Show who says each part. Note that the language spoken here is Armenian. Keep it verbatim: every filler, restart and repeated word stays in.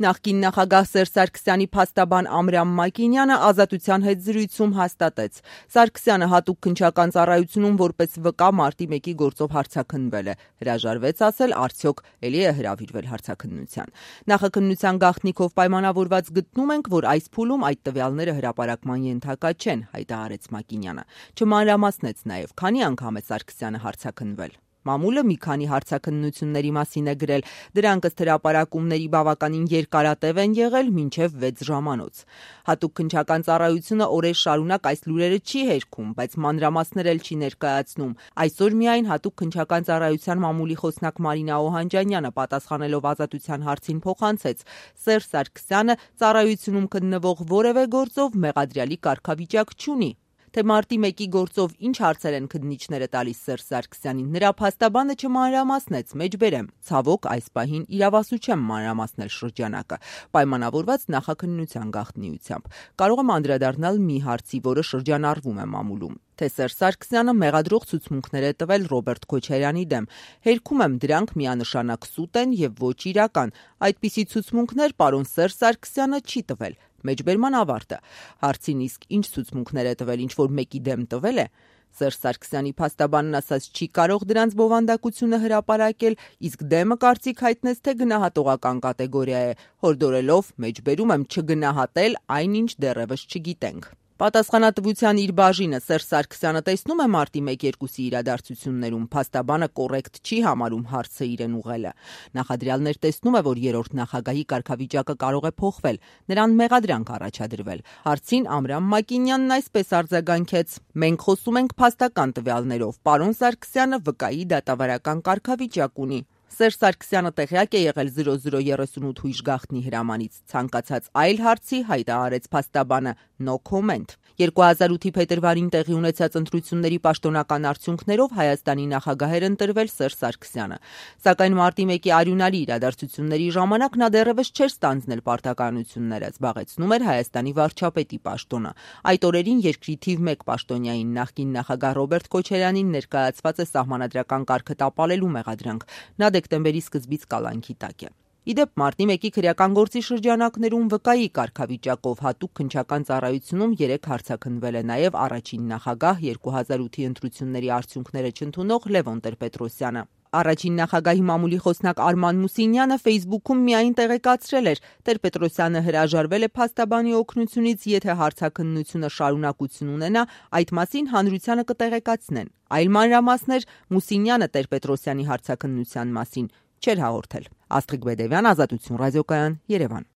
Speaker 1: Նախկին նախագահ Սերժ Սարգսյանի փաստաբան Ամրամ Մակինյանը Ազատության հետ զրույցում հաստատեց. Սարգսյանը հատուկ քննչական ծառայությունում որպես վկա մարտի մեկի գործով հարձակնվել է։ Հրաժարվեց ասել, արդյոք էլի է հրավիրվել հարցաքննության։ Նախաքննության գաղտնիքով պայմանավորված գտնում ենք, որ այս փուլում այդ տվյալները հրապարակման ենթակա չեն, հայտարարեց Մակինյանը։ Չմանրամասնեց նաև, քանի անգամ է Սարգսյանը հարցաքննվել։ Մամուլը մի քանի հարցաքննությունների մասին է գրել, դրանք ըստ հրապարակումների բավականին երկարատև են եղել մինչև վեց ժամանոց։ Հատուկ քննչական ծառայությունը օրեր շարունակ այս լուրերը չի հերքում, բայց մանրամասներ էլ չի ներկայացնում։ Այսօր միայն հատուկ քննչական ծառայության մամուլի խոսնակ Մարինա Օհանջանյանը պատասխանելով Ազատության հարցին փոխանցեց. Սերժ Սարգսյանը ծառայությունում գտնվող որևէ գործով մեղադրյալի կարգավիճակ չունի։ Թե մարտի մեկի գործով ինչ հարցեր են քննիչները տալիս Սերժ Սարգսյանին, նրա փաստաբանը չմանրամասնեց, մեջբերեմ։ Ցավոք, այս պահին իրավասու չեմ մանրամասնել շրջանակը, պայմանավորված նախաքննության գաղտնիությամբ։ Կարող եմ անդրադառնալ մի հարցի, որը շրջանառվում է մամուլում, թե Սերժ Սարգսյանը մեղադրող ցուցմունքներ է տվել Ռոբերտ Քոչարյանի դեմ։ Հերքում եմ, դրանք միանշանակ սուտ են եւ ոչ իրական։ Այդպիսի ցուցմունքներ պարոն Սերժ Սարգսյանը չի տվել։ Մեջբերման ավարտը։ Հարցին իսկ ինչ ցուցմունքներ է տվել, ինչ որ մեկի դեմ տվել է։ Սերժ Սարգսյանի փաստաբանն ասաց չի կարող դրանց բովանդակությունը հրապարակել, իսկ դեմը կարծիք հայտնեց, թե գնահատողական կատեգորիա է, հորդորելով մեջբերում եմ չգնահատել այնինչ դեռևս չգիտենք։ Պատասխանատվության իր բաժինը Սերժ Սարգսյանը տեսնում է մարտի մեկ-երկուսի իրադարձություններում, փաստաբանը կոռեկտ չի համարում հարցը իրեն ուղղելը։ Նախադրյալներ տեսնում է, որ երրորդ նախագահի կարգավիճակը կարող է փոխվել, նրան մեղադրանք առաջադրվել։ Հարցին Ամրամ Մակինյանն այսպես արձագանքեց. Մենք խոսում ենք փաստական տվյալներով, պարոն Սարգսյանը վկայի դատավարական կարգավիճակ ունի։ Սերժ Սարգսյանը տեղյակ է եղել զրո զրո երեսունութ հույժ գաղտնի հրամանից, ցանկացած այլ հարցի հայտարարեց փաստաբանը no comment։ երկու հազար ութի փետրվարին տեղի ունեցած ընտրությունների պաշտոնական արդյունքներով Հայաստանի նախագահ էր ընտրվել Սերժ Սարգսյանը։ Սակայն մարտի մեկի արյունալի իրադարձությունների ժամանակ նա դեռևս չէր ստանձնել պարտականությունները, զբաղեցնում էր Հայաստանի վարչապետի պաշտոնը։ Այդ օրերին երկրի թիվ մեկ պաշտոնյային նախկին նախագահ Ռոբերտ Քոչարյանին ներկայացված է սահմանադրական կարգը տապալելու մեղադրանք։ Նա դեկտեմբերի սկզբից կալանքի տակ է։ Իդեպ մարտի մեկի քրեական գործի շրջանակներում վկայի կարգավիճակով հատուկ քննչական ծառայությունում երեք հարցաքննվել է նաև առաջին նախագահ երկու հազար ութի ընտրությունների արդյունքները չընդունող Լևոն Տեր-Պետրոսյանը։ Առաջին նախագահի մամուլի խոսնակ Արման Մուսինյանը Facebook-ում միայն տեղեկացրել էր. Տեր-Պետրոսյանը հրաժարվել է փաստաբանի օգնությունից, եթե հարցաքննությունը շարունակություն ունենա, այդ մասին հանրությանը կտեղեկացնեն։ Այլ մանրամասներ Մուսինյանը Տեր-Պետրոսյանի հարցաքննության մասին չէր հաղորդել։ Աստղիկ Բեդևյան, Ազատություն ռադիոկայան, Երևան։